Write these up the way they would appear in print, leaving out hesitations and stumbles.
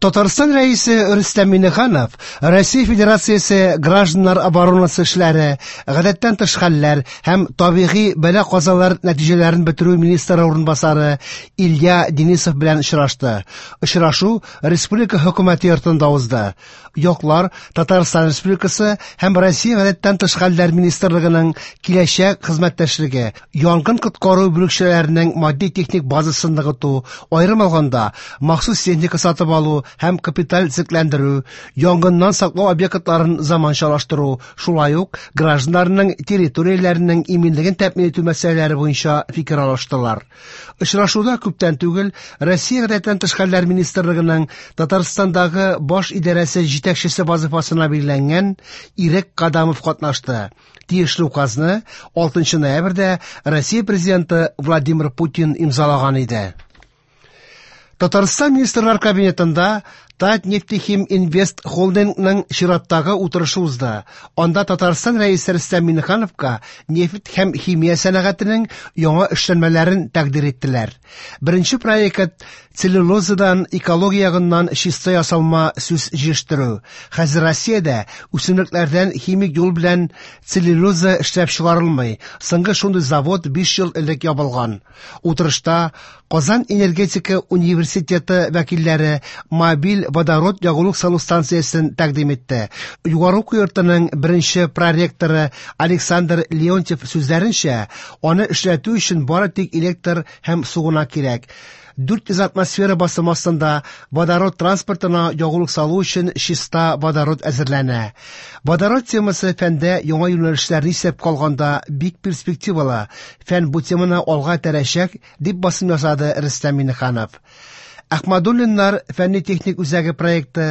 Татарстан Рәисе Рөстәм Миңнеханов Россия Федерациясе гражданнар оборонасы эшләре, гадәттән тыш хәлләр һәм табигый бәла-казалар нәтиҗәләрен бетерү министры урынбасары Илья Денисов белән очрашты. Очрашу республика хөкүмәте йортында узды. Яклар Татарстан Республикасы һәм Россия гадәттән тыш хәлләр министрлыгының киләчәк хезмәттәшлеге, янгын-коткару бүлекчәләренең матди-техник базасын ныгыту, аерым алганда, махсус техника сатып алу һәм капиталь төзекләндерү, янгыннан саклау объектларын заманчалаштыру, шулай ук гражданнарның территорияләренең иминлеген тәэмин итү мәсьәләләре буенча фикер алыштылар. Очрашуда күптән түгел Россия гадәттән тыш хәлләр министрлыгының Татарстандагы баш идарәсе җитәкчесе вазыйфасына билгеләнгән Ирек Кадамов катнашты. Тиешле указны 6 ноябрьдә Россия президенты Владимир Путин имзалаган иде. Татарстан Министрлар Кабинетында Татнефтехим-Инвест холдингның чираттагы утырышы узды. Анда Татарстан Рәисе Рөстәм Миңнехановка нефть һәм химия сәнәгатенең яңа эшләнмәләрен тәкъдир иттеләр. Беренче проект целлюлозадан экология ягыннан чиста ясалма сүс җитештерү. Хәзер Россиядә үсемлекләрдән химик юл белән целлюлоза эшләп чыгарылмый. Соңгы шундый завод 5 ел элек ябылган. Утырышта Казан энергетика университеты вәкилләре мобиль водород ягулык салу станциясен тәкъдим итте. Югары уку йортының беренче проректоры Александр Леонтьев сүзләренчә, аны эшләтү өчен бары тик электр һәм су гына кирәк. 400 атмосфера басымы астында водород транспортына ягулык салу өчен чиста водород әзерләнә. Водород темасы фәндә яңа юнәлешләрне исәпкә алганда бик перспективалы. Фән бу теманы алга этәрәчәк, дип басым ясады Рөстәм Миңнеханов. Ахмадуллиннар фәнни-техник үзәге проекты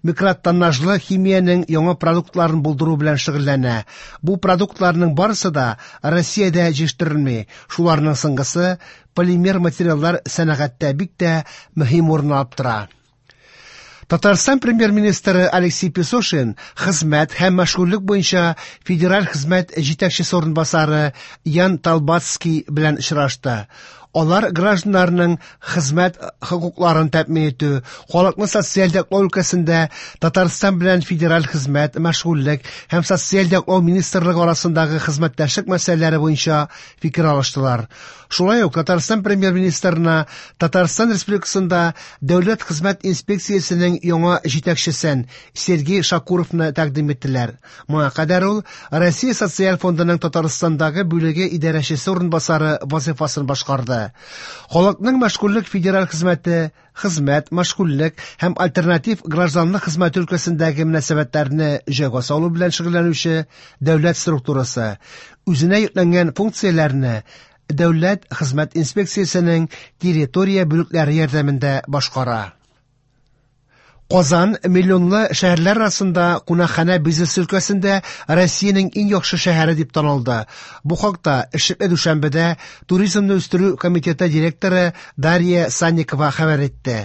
микротоннажлы химиянең яңа продуктларын булдыру белән шөгыльләнә. Бу продуктларның барысы да Россиядә җитештерелми. Шуларның соңгысы полимер материаллар сәнәгатьтә бик тә мөһим урын алып тора. Татарстан премьер-министры Алексей Песошин хезмәт һәм мәшгульлек буенча федераль хезмәт җитәкчесе урынбасары Ян Талбацкий белән очрашты. Алар гражданнарның хезмәт хокукларын тәэмин итү, халыкны социаль яклау өлкәсендә Татарстан белән федераль хезмәт, мәшгульлек һәм социаль яклау министрлыгы арасындагы хезмәттәшлек мәсьәләләре буенча фикер алыштылар. Шулай ук Татарстан премьер-министрына Татарстан Республикасында Дәүләт хезмәт инспекциясенең яңа җитәкчесен Сергей Шакуровны тәкъдим иттеләр. Моңа кадәр ул Россия Социаль фондының Татарстандагы бүлеге идарәчесе урынбасары вазыйфасын башкарды. Халыкның мәшгульлек федераль хезмәте хезмәт, мәшгульлек һәм альтернатив гражданлык хезмәте өлкәсендәге мөнәсәбәтләрне җайга салу белән шөгыльләнүче дәүләт структурасы үзенә йөкләнгән функцияләрне Дәүләт хезмәт инспекциясенең территория бүлекләре ярдәмендә башкара. Казан миллионлы шәһәрләр арасында кунакханә бизнесы өлкәсендә Россиянең иң яхшы шәһәре дип танылды. Бу хакта эшлекле дүшәмбедә Туризмны үстерү комитеты директоры Дарья Санникова хәбәр итте.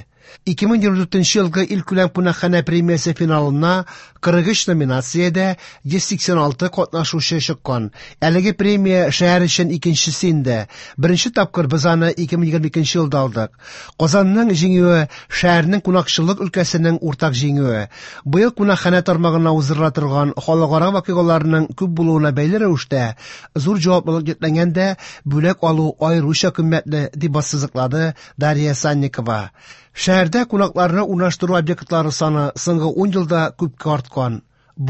2024 елгы илкүләм кунакханә премиясе финалына 43 номинациядә 186 катнашучы чыккан. Әлеге премия шәһәр өчен икенчесе инде. Беренче тапкыр без аны 2022 елда алдык. Казанның җиңүе шәһәрнең кунакчыллык өлкәсенең уртак җиңүе. Быел кунакханә тармагына уздырыла торган халыкара вакыйгаларның күп булуына бәйле рәвештә зур җаваплылык йөкләнгәндә бүләк алу аеруча кыйммәтле, дип ассызыклады Дарья Санникова. Шәһәрдә кунакларны урнаштыру объектлары саны соңгы 10 елда күпкә арткан.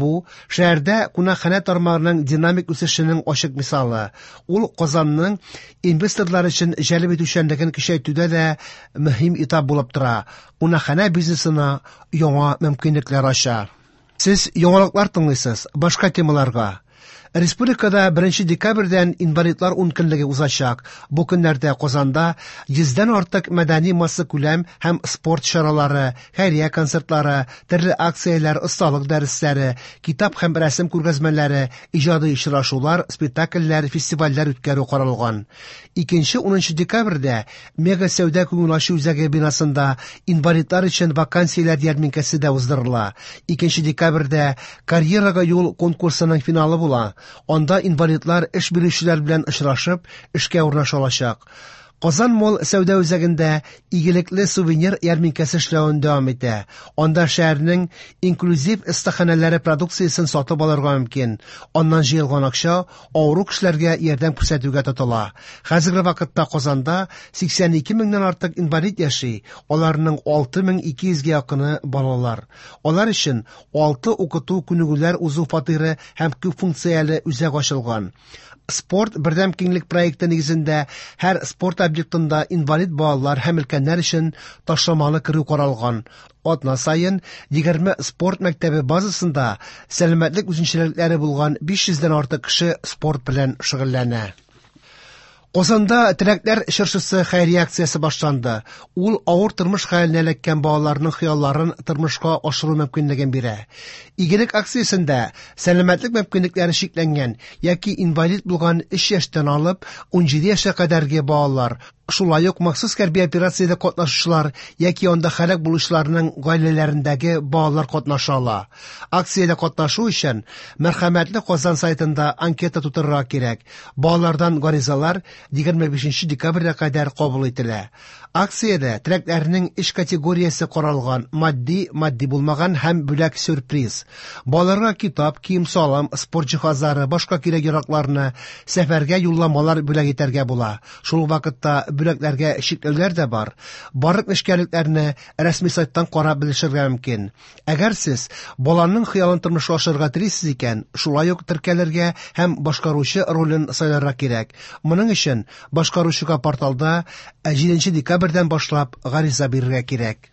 Бу шәһәрдә кунакханә тармагының динамик үсешенең ачык мисалы. Ул Казанның инвесторлар өчен җәлеп итүчәнлеген көчәйтүдә дә мөһим этап булып тора. Кунакханә бизнесына яңа мөмкинлекләр ача. Сез яңалыклар тыңлыйсыз, башка темаларга. Республикада 1 декабрьдән инвалидлар ункөнлеге узачак. Бу көннәрдә Казанда 100дән артык мәдәни массакүләм һәм спорт чаралары, хәйрия концертлары, төрле акцияләр, осталык дәресләре, китап һәм рәсем күргәзмәләре, иҗади очрашулар, спектакльләр, фестивальләр үткәрү каралган. 2-10 декабрьдә Мега сәүдә күңел ачу үзәге бинасында инвалидлар өчен вакансияләр ярминкәсе дә уздырыла. 2 декабрьдә Карьерага юл конкурсының финалы була. Анда инвалидлар эш бирүчеләр белән очрашып, эшкә урнаша алачак. Казан Молл сәүдә үзәгендә Игелекле сувенир ярминкәсе эшләвен дәвам итә. Анда шәһәрнең инклюзив остаханәләре продукциясен сатып алырга мөмкин. Аннан җыелган акча авыру кешеләргә ярдәм күрсәтүгә тотыла. Хәзерге вакытта Казанда 82 меңнән артык инвалид яши, аларның 6200 гә якыны балалар. Алар өчен 6 укыту күнегүләр узу фатиры һәм күп функцияле үзәк ачылган. Спорт бердәм киңлек проекты нигезендә һәр спорт объектында инвалид балалар һәм өлкәннәр өчен ташламалы керү каралган. Атна саен 20 спорт мәктәбе базасында сәламәтлек үзенчәлекләре булган 500 дән артык кеше спорт белән шөгыльләнә. Казанда Теләкләр чыршысы хәйрия акциясе башланды. Ул авыр тормыш хәленә эләккән балаларның хыялларын тормышка ашыру мөмкинлеген бирә. Игелек акциясендә сәламәтлек мөмкинлекләре чикләнгән яки инвалид булган 3 яшьтән алып 17 яшькә кадәрге балалар, шулай ук махсус хәрби операциядә катнашучылар яки анда һәлак булучыларның гаиләләрендәге балалар катнаша ала. Акциядә катнашу өчен Мәрхәмәтле Казан сайтында анкета тутырырга кирәк. Балалардан гаризалар 25 декабрьгә кадәр кабул ителә. Акциядә теләкләрнең өч категориясе каралган: матди, матди булмаган һәм бүләк-сюрприз. Балаларга китап, кием-салым, спорт җиһазлары, башка кирәк-яракларны, сәфәргә юлламалар бүләк итәргә була. Шул ук вакытта бүләкләргә чикләүләр дә бар. Барлык нечкәлекләрне рәсми сайттан карап белешергә мөмкин. Әгәр сез баланың хыялын тормышка ашырырга телисез икән, шулай ук теркәлергә һәм башкаручы ролен сайларга кирәк. Моның өчен башкаручыга порталда 7 декабрьдән башлап гариза бирергә кирәк.